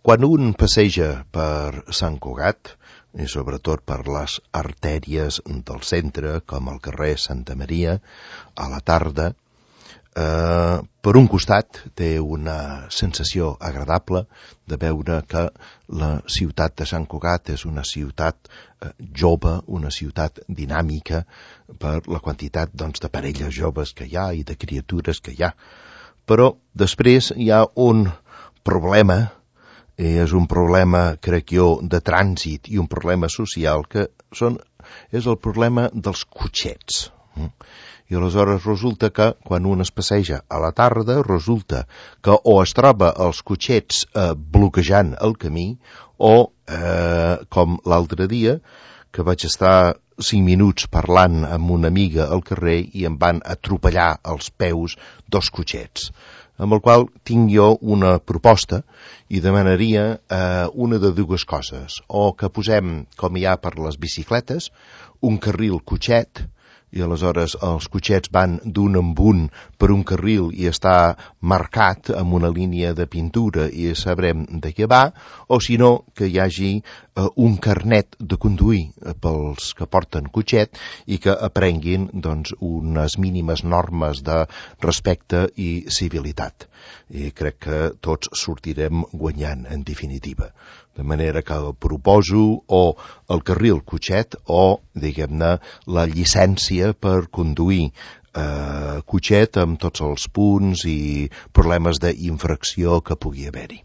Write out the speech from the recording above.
Quan un passeja per Sant Cugat, i sobretot per les artèries del centre, com el carrer Santa Maria, a la tarda, per un costat té una sensació agradable de veure que la ciutat de Sant Cugat és una ciutat jove, una ciutat dinàmica per la quantitat de parelles joves que hi ha i de criatures que hi ha. Però després hi ha un problema, és un problema, crec jo, de trànsit i un problema social que és el problema dels cotxets. I aleshores resulta que quan un es passeja a la tarda resulta que o es troba els cotxets bloquejant el camí o, com l'altre dia, que vaig estar 5 minuts parlant amb una amiga al carrer i em van atropellar als peus 2 cotxets, amb el qual tinc jo una proposta i demanaria una de dues coses, o que posem, com hi ha per les bicicletes, un carril cotxet, i aleshores els cotxets van d'un en un per un carril i està marcat amb una línia de pintura i sabrem de què va, o si no, que hi hagi un carnet de conduir pels que porten cotxet i que aprenguin unes mínimes normes de respecte i civilitat. I crec que tots sortirem guanyant, en definitiva. De manera que proposo o el carril cotxet o, diguem-ne, la llicència per conduir cotxet amb tots els punts i problemes d'infracció que pugui haver-hi.